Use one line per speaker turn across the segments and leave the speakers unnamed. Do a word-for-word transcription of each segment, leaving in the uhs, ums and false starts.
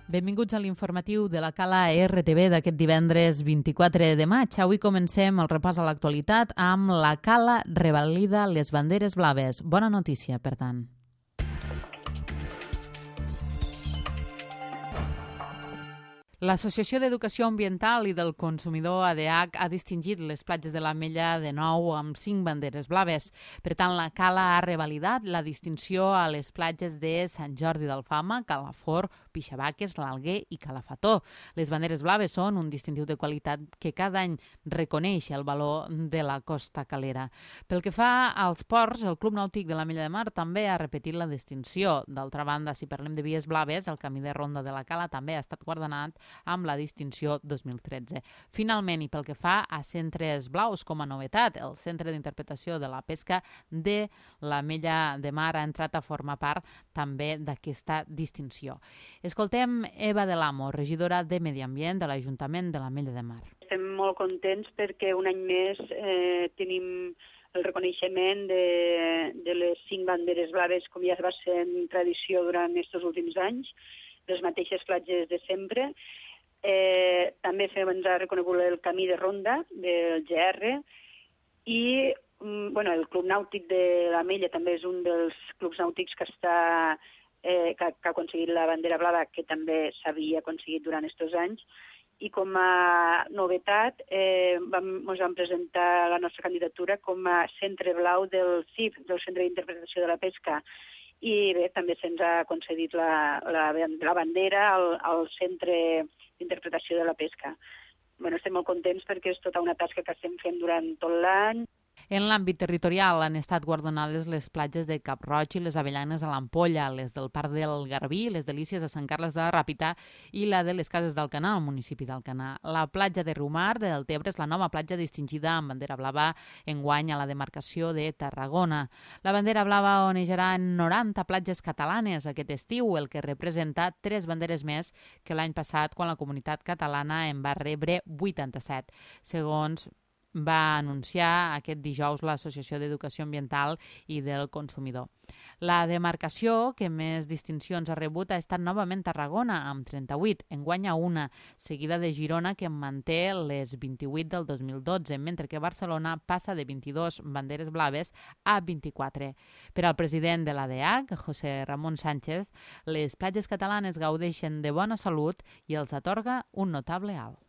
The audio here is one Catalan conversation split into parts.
Benvinguts a l'informatiu de la Cala R T V d'aquest divendres vint-i-quatre de maig. Avui comencem el repàs a l'actualitat amb la Cala revalida les banderes blaves. Bona notícia, per tant. L'Associació d'Educació Ambiental i del Consumidor A D H ha distingit les platges de l'Ametlla de nou amb cinc banderes blaves. Per tant, la Cala ha revalidat la distinció a les platges de Sant Jordi d'Alfama, Calafort, Pixabaques, l'Alguer i Calafató. Les banderes blaves són un distintiu de qualitat que cada any reconeix el valor de la costa calera. Pel que fa als ports, el Club Nàutic de l'Ametlla de Mar també ha repetit la distinció. D'altra banda, si parlem de vies blaves, el camí de ronda de la Cala també ha estat guardonat amb la distinció dos mil tretze. Finalment, i pel que fa a centres blaus com a novetat, el Centre d'Interpretació de la Pesca de l'Ametlla de Mar ha entrat a formar part també d'aquesta distinció. Escoltem Eva de l'Amo, regidora de Medi Ambient de l'Ajuntament de l'Ametlla de Mar.
Estem molt contents perquè un any més eh, tenim el reconeixement de, de les cinc banderes blaves, com ja va ser en tradició durant aquests últims anys, les mateixes platges de sempre. Eh, també ens ha reconegut el camí de ronda del G R i mm, bueno, el Club Nàutic de l'Ametlla també és un dels clubs nàutics que, està, eh, que, que ha aconseguit la bandera blava, que també s'havia aconseguit durant aquests anys. I com a novetat eh, vam, ens vam presentar la nostra candidatura com a centre blau del C I P, del Centre d'Interpretació de la Pesca. I bé, també se'ns ha concedit la, la, la bandera al, al Centre d'Interpretació de la Pesca. Bueno, estem molt contents perquè és tota una tasca que estem fent durant tot l'any.
En l'àmbit territorial han estat guardonades les platges de Cap Roig i les Avellanes a l'Ampolla, les del Parc del Garbí, les Delícies a Sant Carles de la Ràpita i la de les Cases d'Alcanar, al municipi d'Alcanar. La platja de Riumar de Deltebre és la nova platja distingida amb bandera blava enguany a la demarcació de Tarragona. La bandera blava onejarà en noranta platges catalanes aquest estiu, el que representa tres banderes més que l'any passat, quan la comunitat catalana en va rebre vuitanta-set, segons va anunciar aquest dijous l'Associació d'Educació Ambiental i del Consumidor. La demarcació que més distincions ha rebut ha estat novament Tarragona, amb trenta-vuit, enguany a una, seguida de Girona, que manté les vint-i-vuit del dos mil dotze, mentre que Barcelona passa de vint-i-dos banderes blaves a vint-i-quatre. Per al president de l'A D H, José Ramón Sánchez, les platges catalanes gaudeixen de bona salut i els atorga un notable alt.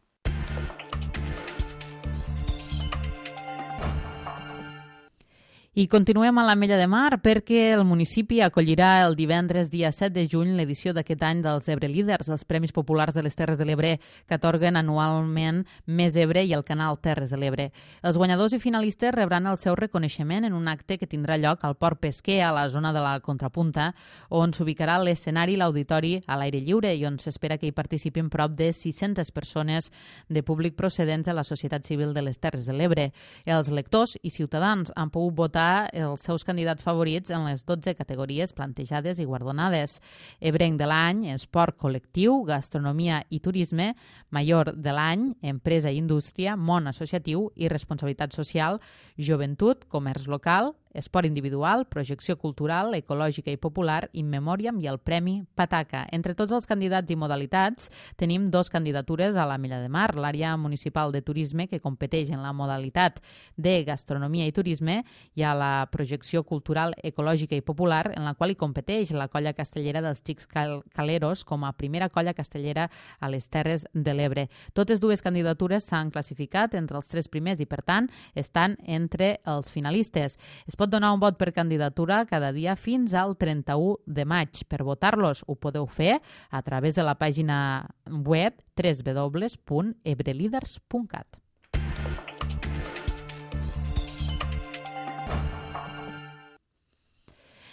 I continuem a l'Ametlla de Mar perquè el municipi acollirà el divendres dia set de juny l'edició d'aquest any dels Ebre Líders, els Premis Populars de les Terres de l'Ebre que atorguen anualment Més Ebre i el canal Terres de l'Ebre. Els guanyadors i finalistes rebran el seu reconeixement en un acte que tindrà lloc al Port Pesquer, a la zona de la Contrapunta, on s'ubicarà l'escenari i l'auditori a l'aire lliure i on s'espera que hi participin prop de sis-centes persones de públic procedents de la societat civil de les Terres de l'Ebre. Els lectors i ciutadans han pogut votar els seus candidats favorits en les dotze categories plantejades i guardonades. Ebrenc de l'any, esport col·lectiu, gastronomia i turisme, major de l'any, empresa i indústria, món associatiu i responsabilitat social, joventut, comerç local, esport individual, projecció cultural, ecològica i popular, in memoriam i el Premi Pataca. Entre tots els candidats i modalitats tenim dos candidatures a l'Ametlla de Mar, l'àrea municipal de turisme, que competeix en la modalitat de gastronomia i turisme, i a la projecció cultural, ecològica i popular, en la qual hi competeix la colla castellera dels Xics Cal Caleros com a primera colla castellera a les Terres de l'Ebre. Totes dues candidatures s'han classificat entre els tres primers i, per tant, estan entre els finalistes. Es pot donar un vot per candidatura cada dia fins al trenta-u de maig. Per votar-los ho podeu fer a través de la pàgina web w w w punt ebrelíders punt cat.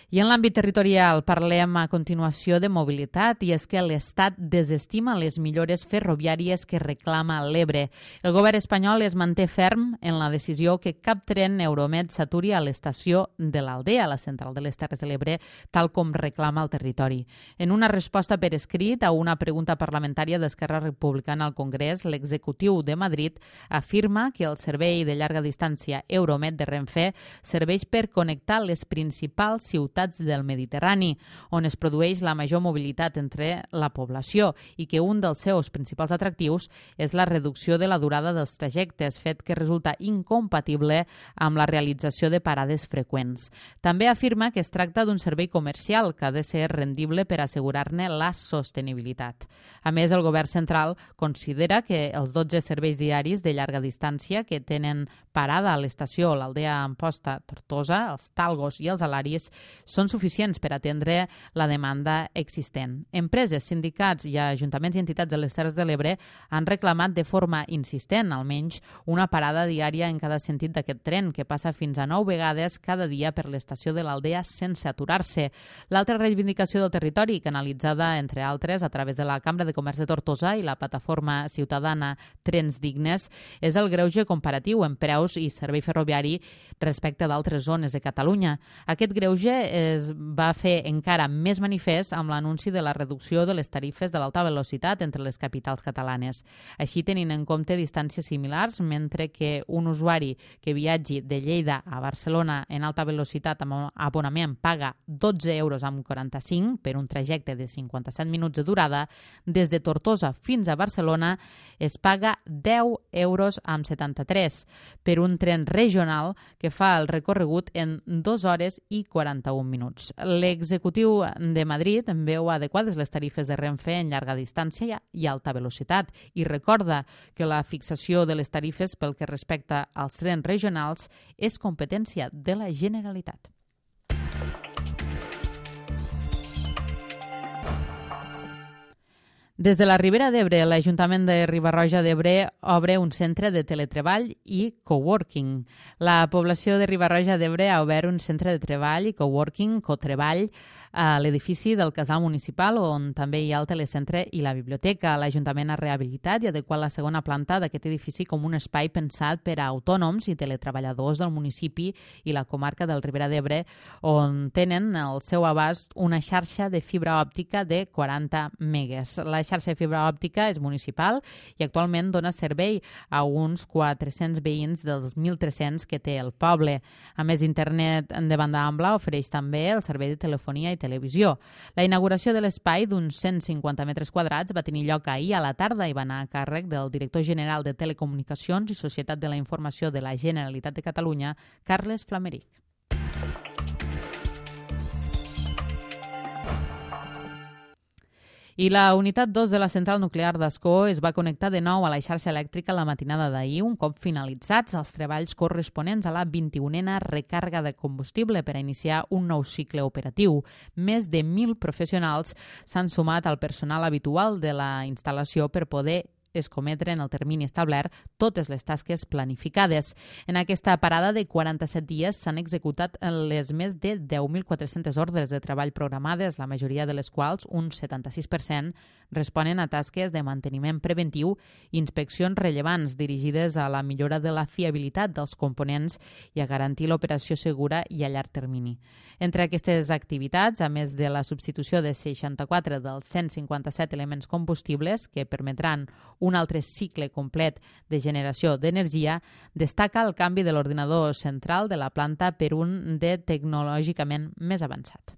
I en l'àmbit territorial parlem a continuació de mobilitat, i és que l'Estat desestima les millores ferroviàries que reclama l'Ebre. El govern espanyol es manté ferm en la decisió que cap tren Euromed s'aturi a l'estació de l'Aldea, a la central de les Terres de l'Ebre, tal com reclama el territori. En una resposta per escrit a una pregunta parlamentària d'Esquerra Republicana al Congrés, l'executiu de Madrid afirma que el servei de llarga distància Euromed de Renfe serveix per connectar les principals ciutats ciutats del Mediterrani, on es produeix la major mobilitat entre la població i que un dels seus principals atractius és la reducció de la durada dels trajectes, fet que resulta incompatible amb la realització de parades freqüents. També afirma que es tracta d'un servei comercial que ha de ser rendible per assegurar-ne la sostenibilitat. A més, el govern central considera que els dotze serveis diaris de llarga distància que tenen parada a l'estació l'Aldea Amposta Tortosa, els Talgos i els Alaris són suficients per atendre la demanda existent. Empreses, sindicats i ajuntaments i entitats de les Terres de l'Ebre han reclamat de forma insistent, almenys, una parada diària en cada sentit d'aquest tren, que passa fins a nou vegades cada dia per l'estació de l'Aldea sense aturar-se. L'altra reivindicació del territori, canalitzada, entre altres, a través de la Cambra de Comerç de Tortosa i la plataforma ciutadana Trens Dignes, és el greuge comparatiu en preus i servei ferroviari respecte d'altres zones de Catalunya. Aquest greuge es va fer encara més manifest amb l'anunci de la reducció de les tarifes de l'alta velocitat entre les capitals catalanes. Així, tenint en compte distàncies similars, mentre que un usuari que viatgi de Lleida a Barcelona en alta velocitat amb abonament paga dotze euros amb quaranta-cinc per un trajecte de cinquanta-set minuts de durada, des de Tortosa fins a Barcelona es paga deu euros amb setanta-tres per un tren regional que fa el recorregut en dues hores i quaranta-un minuts. L'executiu de Madrid veu adequades les tarifes de Renfe en llarga distància i alta velocitat i recorda que la fixació de les tarifes pel que respecta als trens regionals és competència de la Generalitat. Des de la Ribera d'Ebre, l'Ajuntament de Riba-roja d'Ebre obre un centre de teletreball i coworking. La població de Riba-roja d'Ebre ha obert un centre de treball i coworking, cotreball, a l'edifici del Casal Municipal, on també hi ha el telecentre i la biblioteca. L'Ajuntament ha rehabilitat i adequat la segona planta d'aquest edifici com un espai pensat per a autònoms i teletreballadors del municipi i la comarca del Ribera d'Ebre, on tenen al seu abast una xarxa de fibra òptica de quaranta megues. La xarxa de fibra òptica és municipal i actualment dona servei a uns quatre-cents veïns dels mil tres-cents que té el poble. A més, internet de banda ampla ofereix també el servei de telefonia i televisió. La inauguració de l'espai d'uns cent cinquanta metres quadrats va tenir lloc ahir a la tarda i va anar a càrrec del director general de Telecomunicacions i Societat de la Informació de la Generalitat de Catalunya, Carles Flameric. I la unitat dos de la central nuclear d'Ascó es va connectar de nou a la xarxa elèctrica la matinada d'ahir, un cop finalitzats els treballs corresponents a la vint-i-unena recàrrega de combustible per a iniciar un nou cicle operatiu. Més de mil professionals s'han sumat al personal habitual de la instal·lació per poder escometre en el termini establert totes les tasques planificades. En aquesta parada de quaranta-set dies s'han executat les més de deu mil quatre-centes ordres de treball programades, la majoria de les quals, un setanta-sis per cent, responen a tasques de manteniment preventiu i inspeccions rellevants dirigides a la millora de la fiabilitat dels components i a garantir l'operació segura i a llarg termini. Entre aquestes activitats, a més de la substitució de seixanta-quatre dels cent cinquanta-set elements combustibles que permetran un altre cicle complet de generació d'energia, destaca el canvi de l'ordinador central de la planta per un de tecnològicament més avançat.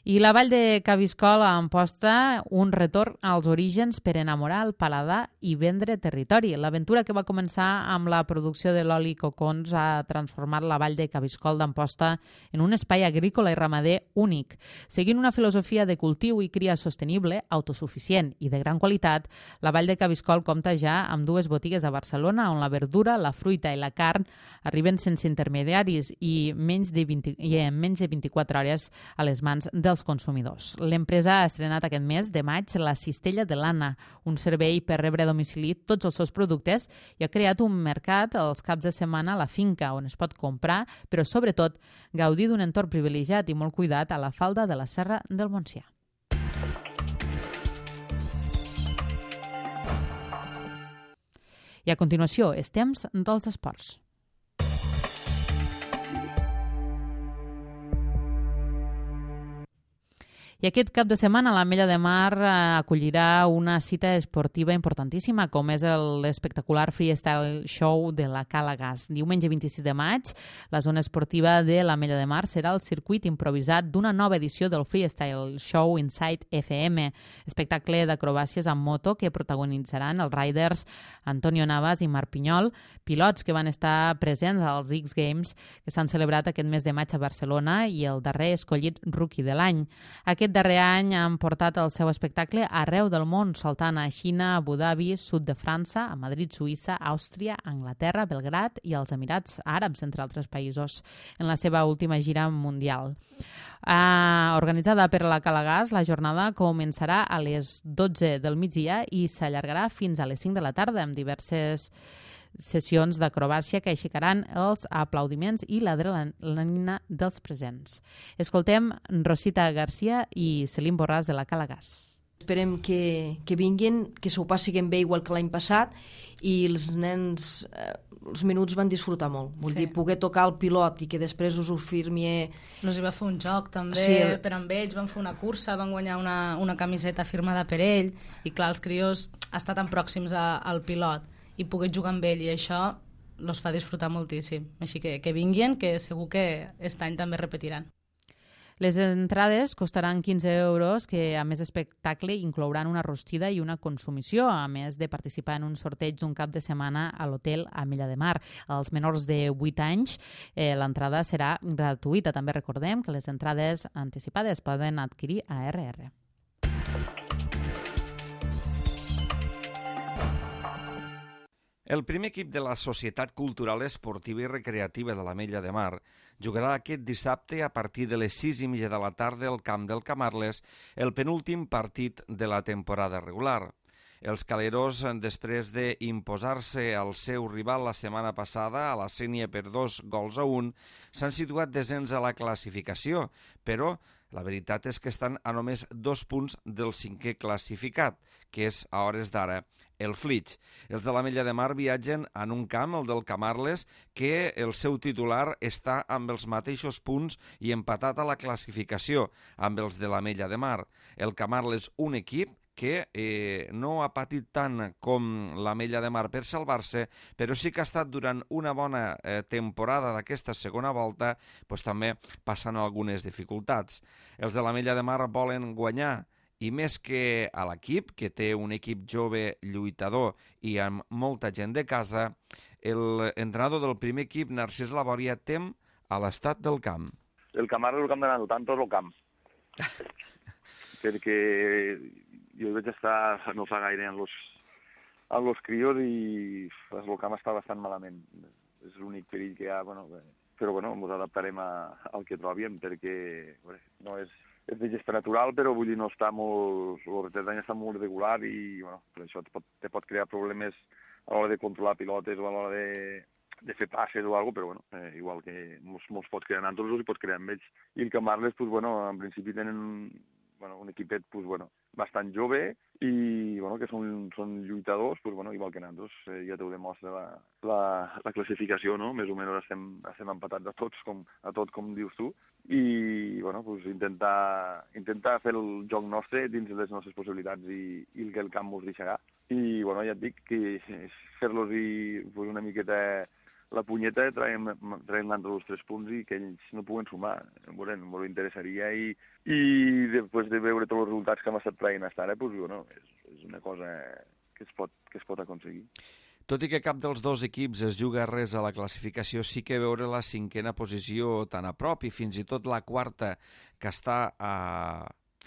I la vall de Cabiscol a Amposta, un retorn als orígens per enamorar el paladar i vendre territori. L'aventura que va començar amb la producció de l'oli cocons ha transformat la vall de Cabiscol d'Amposta en un espai agrícola i ramader únic. Seguint una filosofia de cultiu i cria sostenible, autosuficient i de gran qualitat, la vall de Cabiscol compta ja amb dues botigues a Barcelona on la verdura, la fruita i la carn arriben sense intermediaris i, menys de vint, i en menys de vint-i-quatre hores a les mans dels dels consumidors. L'empresa ha estrenat aquest mes de maig la Cistella de l'Anna, un servei per rebre a domicili tots els seus productes, i ha creat un mercat els caps de setmana a la finca on es pot comprar, però sobretot gaudir d'un entorn privilegiat i molt cuidat a la falda de la Serra del Montsià. I a continuació, és temps dels esports. I aquest cap de setmana l'Ametlla de Mar acollirà una cita esportiva importantíssima, com és l'espectacular freestyle show de la Cala Gas. Diumenge vint-i-sis de maig, la zona esportiva de l'Ametlla de Mar serà el circuit improvisat d'una nova edició del freestyle show Inside F M, espectacle d'acrobàcies amb moto que protagonitzaran els riders Antonio Navas i Marc Pinyol, pilots que van estar presents als X Games que s'han celebrat aquest mes de maig a Barcelona i el darrer escollit rookie de l'any. Aquest darrer any han portat el seu espectacle arreu del món, saltant a Xina, Abu Dhabi, sud de França, a Madrid, Suïssa, Àustria, Anglaterra, Belgrad i els Emirats Àrabs, entre altres països, en la seva última gira mundial. Uh, organitzada per la Cala Gas, la jornada començarà a les dotze del migdia i s'allargarà fins a les cinc de la tarda amb diverses sessions d'acrobàcia que aixecaran els aplaudiments i l'adrenalina dels presents. Escoltem Rosita Garcia i Celine Borràs de la Cala Gas.
Esperem que, que vinguin, que s'ho passin bé igual que l'any passat i els nens, eh, els minuts van disfrutar molt. Vull sí. dir, poder tocar el pilot i que després us ho firmi...
Nos hi va fer un joc també
sí, el...
per amb ells, van fer una cursa, van guanyar una, una camiseta firmada per ell i clar, els crios estan tan pròxims a, al pilot i poder jugar amb ell i això els fa disfrutar moltíssim. Així que que vinguin, que segur que aquest any també repetiran.
Les entrades costaran quinze euros, que a més d'espectacle inclouran una rostida i una consumició, a més de participar en un sorteig d'un cap de setmana a l'hotel Ametlla de Mar. Als menors de vuit anys eh, l'entrada serà gratuïta. També recordem que les entrades anticipades poden adquirir a R R.
El primer equip de la Societat Cultural Esportiva i Recreativa de l'Ametlla de Mar jugarà aquest dissabte a partir de les sis i mitja de la tarda al camp del Camarles, el penúltim partit de la temporada regular. Els caleros, després d'imposar-se al seu rival la setmana passada a la Sénia per dos gols a un, s'han situat desens a la classificació, però la veritat és que estan a només dos punts del cinquè classificat, que és, a hores d'ara, el Flix. Els de l'Ametlla de Mar viatgen en un camp, el del Camarles, que el seu titular està amb els mateixos punts i empatat a la classificació amb els de l'Ametlla de Mar. El Camarles, un equip que eh, no ha patit tant com l'Ametlla de Mar per salvar-se, però sí que ha estat durant una bona eh, temporada d'aquesta segona volta, doncs també passant algunes dificultats. Els de l'Ametlla de Mar volen guanyar, i més que a l'equip, que té un equip jove lluitador i amb molta gent de casa, l'entrenador del primer equip, Narcís Labòria, tem a l'estat del camp.
El Camarles és el camp de nano, tant tot el camp. Perquè jo vaig estar no fa gaire amb los, amb los crios i el camp està bastant malament. És l'únic perill que hi ha, bueno, però bueno, ens adaptarem a, al que trobem, perquè bueno, no és, és de gesta natural, però vull dir, no està molt, el retard d'any està molt regular i bueno, per això te pot, te pot crear problemes a l'hora de controlar pilotes o a l'hora de, de fer passes o alguna cosa, però bueno, eh, igual que molts, molts pots crear en altres i pots crear amb ells. I el Camarles, pues, bueno, en principi tenen bueno, un equipet pues, bueno, bastant jove i bueno, que són, són lluitadors, pues, bueno, igual que nosaltres, eh, ja t'ho demostra la, la, la classificació, no? Més o menys estem, estem empatats a tots, com, a tot com dius tu, i bueno, pues, intentar, intentar fer el joc nostre dins de les nostres possibilitats i, i el que el camp ens deixarà. I bueno, ja et dic que fer-los pues, una miqueta la punyeta, traiem, traiem entre els tres punts i que ells no puguen sumar. Bueno, molt interessaria i, i després de veure tots els resultats que hem estat traient fins ara, pues, bueno, és, és una cosa que es, pot, que es pot aconseguir.
Tot i que cap dels dos equips es juga res a la classificació, sí que veure la cinquena posició tan a prop i fins i tot la quarta, que està a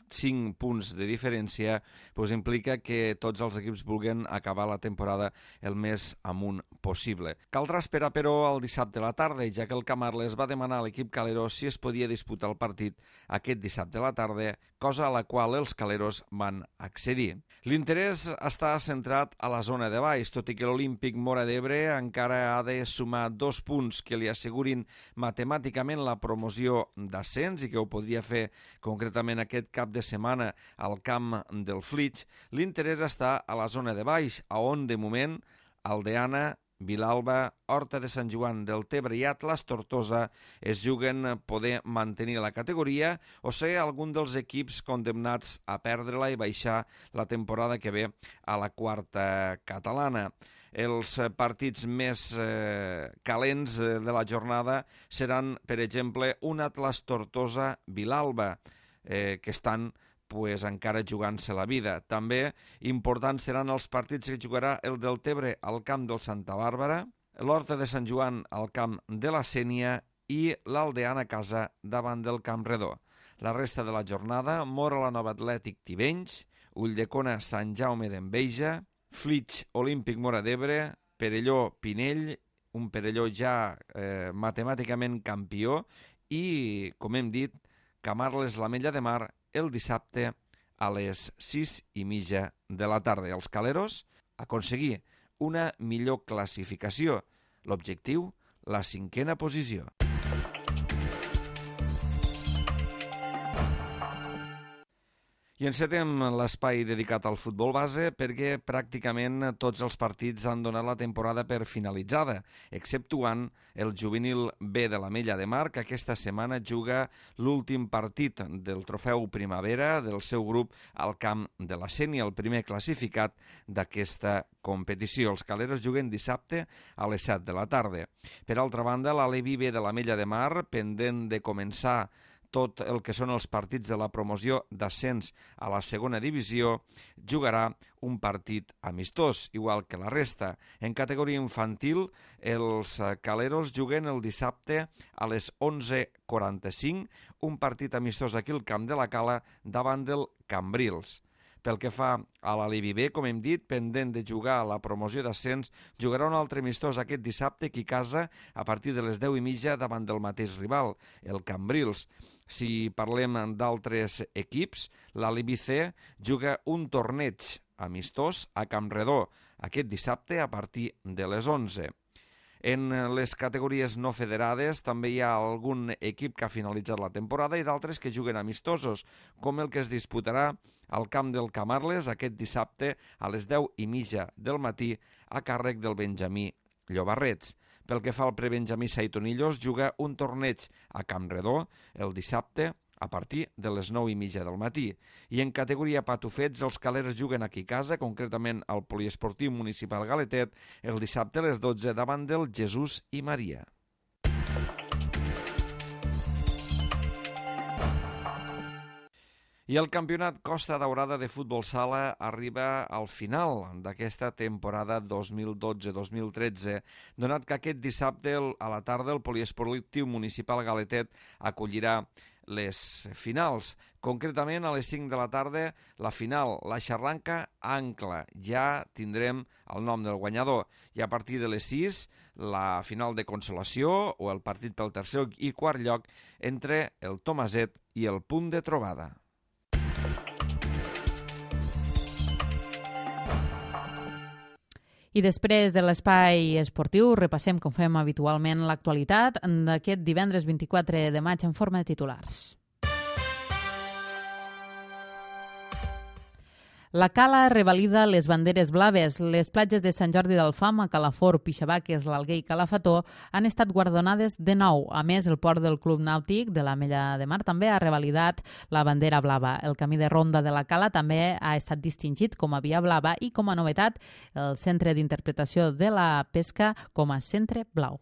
cinc punts de diferència, doncs implica que tots els equips vulguin acabar la temporada el més amunt possible. Caldrà esperar, però, el dissabte a la tarda, ja que el Camarles va demanar a l'equip calero si es podia disputar el partit aquest dissabte a la tarda, cosa a la qual els caleros van accedir. L'interès està centrat a la zona de baix, tot i que l'Olímpic Móra d'Ebre encara ha de sumar dos punts que li assegurin matemàticament la promoció d'ascens i que ho podria fer concretament aquest cap de setmana al camp del Flix. L'interès està a la zona de baix, a on de moment Aldeana Vilalba, Horta de Sant Joan del Tebre i Atlas Tortosa es juguen poder mantenir la categoria o ser algun dels equips condemnats a perdre-la i baixar la temporada que ve a la quarta catalana. Els partits més eh, calents de la jornada seran, per exemple, un Atlas Tortosa Vilalba, eh, que estan pues, encara jugant-se la vida. També importants seran els partits que jugarà el del Tebre al camp del Santa Bàrbara, l'Horta de Sant Joan al camp de la Sénia i l'Aldeana a casa davant del Camp Redó. La resta de la jornada, Móra la Nova Atlètic Tivenys, Ulldecona Sant Jaume d'Enveja, Flix Olímpic Móra d'Ebre, Perelló Pinell, un Perelló ja eh, matemàticament campió, i, com hem dit, Camarles l'Ametlla de Mar el dissabte a les sis i mitja de la tarda. Els caleros aconseguir una millor classificació. L'objectiu, la cinquena posició. I encetem l'espai dedicat al futbol base perquè pràcticament tots els partits han donat la temporada per finalitzada, exceptuant el juvenil B de l'Ametlla de Mar, que aquesta setmana juga l'últim partit del trofeu Primavera del seu grup al camp de la Sénia, el primer classificat d'aquesta competició. Els caleros juguen dissabte a les set de la tarda. Per altra banda, l'Alevi B de l'Ametlla de Mar, pendent de començar tot el que són els partits de la promoció d'ascens a la segona divisió, jugarà un partit amistós, igual que la resta. En categoria infantil, els caleros juguen el dissabte a les onze quaranta-cinc, un partit amistós aquí al Camp de la Cala davant del Cambrils. Pel que fa a l'Alevi B, com hem dit, pendent de jugar a la promoció d'ascens, jugarà un altre amistós aquest dissabte aquí a casa a partir de les deu i mitja davant del mateix rival, el Cambrils. Si parlem d'altres equips, l'Alevi C juga un torneig amistós a Camp Redó aquest dissabte a partir de les onze. En les categories no federades també hi ha algun equip que ha finalitzat la temporada i d'altres que juguen amistosos, com el que es disputarà al camp del Camarles aquest dissabte a les deu i mitja del matí a càrrec del Benjamí Llobarrets. Pel que fa al prebenjamí Saitonillos, juga un torneig a Camp Redó el dissabte a partir de les nou i mitja del matí. I en categoria patufets, els calers juguen aquí a casa, concretament al Poliesportiu Municipal Galetet, el dissabte a les dotze davant del Jesús i Maria. I el campionat Costa Daurada de futbol sala arriba al final d'aquesta temporada dos mil dotze dos mil tretze, donat que aquest dissabte a la tarda el Poliesportiu Municipal Galetet acollirà les finals. Concretament, a les cinc de la tarda, la final, la Xarranca Ancla. Ja tindrem el nom del guanyador. I a partir de les sis, la final de consolació o el partit pel tercer i quart lloc entre el Tomaset i el Punt de Trobada.
I després de l'espai esportiu repassem, com fem habitualment, l'actualitat d'aquest divendres vint-i-quatre de maig en forma de titulars. La Cala revalida les banderes blaves. Les platges de Sant Jordi d'Alfama, Calafort, Pixabaques, l'Alguer i Calafató han estat guardonades de nou. A més, el port del Club Nàutic de l'Ametlla de Mar també ha revalidat la bandera blava. El camí de ronda de la Cala també ha estat distingit com a via blava i, com a novetat, el Centre d'Interpretació de la Pesca com a Centre Blau.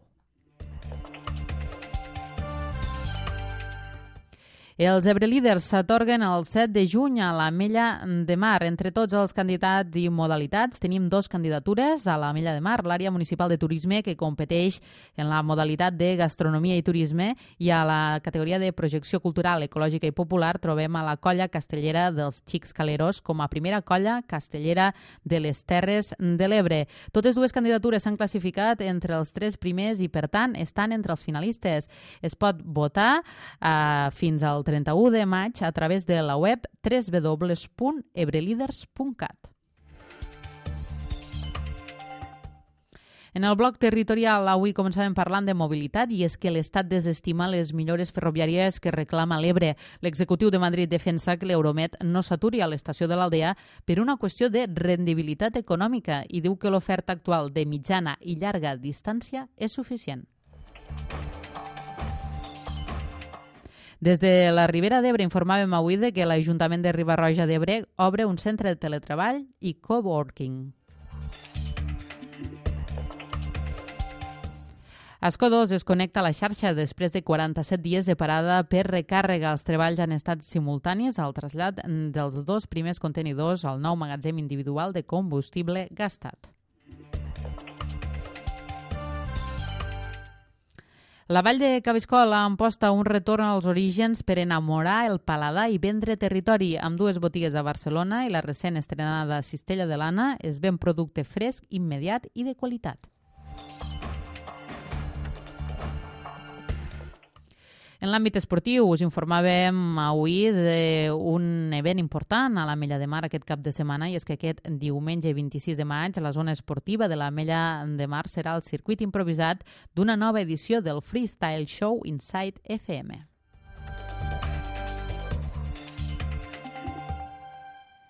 Els ebrelíders s'atorguen el set de juny a l'Ametlla de Mar. Entre tots els candidats i modalitats tenim dos candidatures a l'Ametlla de Mar, l'àrea municipal de turisme, que competeix en la modalitat de gastronomia i turisme, i a la categoria de projecció cultural, ecològica i popular trobem a la colla castellera dels Xics Caleros com a primera colla castellera de les Terres de l'Ebre. Totes dues candidatures s'han classificat entre els tres primers i, per tant, estan entre els finalistes. Es pot votar eh, fins al trenta-u de maig a través de la web w w w punt ebrelíders punt cat. En el bloc territorial avui començàvem parlant de mobilitat i és que l'Estat desestima les millores ferroviàries que reclama l'Ebre. L'executiu de Madrid defensa que l'Euromed no s'aturi a l'estació de l'Aldea per una qüestió de rendibilitat econòmica i diu que l'oferta actual de mitjana i llarga distància és suficient. Des de la Ribera d'Ebre informàvem avui de que l'Ajuntament de Riba-roja d'Ebre obre un centre de teletreball i coworking. Asco dos es connecta a la xarxa després de quaranta-set dies de parada per recàrrega. Els treballs han estat simultanis al trasllat dels dos primers contenidors al nou magatzem individual de combustible gastat. La Vall de Cabiscol emposta un retorn als orígens per enamorar el paladar i vendre territori. Amb dues botigues a Barcelona i la recent estrenada Cistella de l'Anna es ven producte fresc, immediat i de qualitat. En l'àmbit esportiu us informàvem avui d'un event important a l'Ametlla de Mar aquest cap de setmana i és que aquest diumenge vint-i-sis de maig la zona esportiva de l'Ametlla de Mar serà el circuit improvisat d'una nova edició del Freestyle Show Inside F M.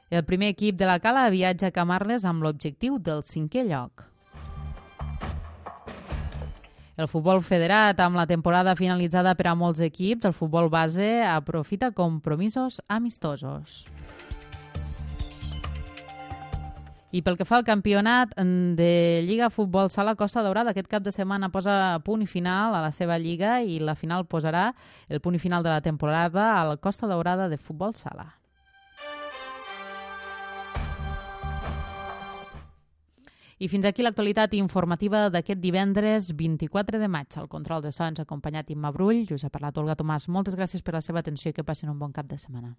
El primer equip de la Cala viatja a Camarles amb l'objectiu del cinquè lloc. El futbol federat, amb la temporada finalitzada per a molts equips, el futbol base aprofita compromisos amistosos. I pel que fa al campionat de Lliga Futbol Sala Costa Daurada, aquest cap de setmana posa punt i final a la seva lliga i la final posarà el punt i final de la temporada al Costa Daurada de Futbol Sala. I fins aquí l'actualitat informativa d'aquest divendres vint-i-quatre de maig. Al control de sons acompanyat Imma Brull, us ha parlat Olga Tomàs. Moltes gràcies per la seva atenció i que passin un bon cap de setmana.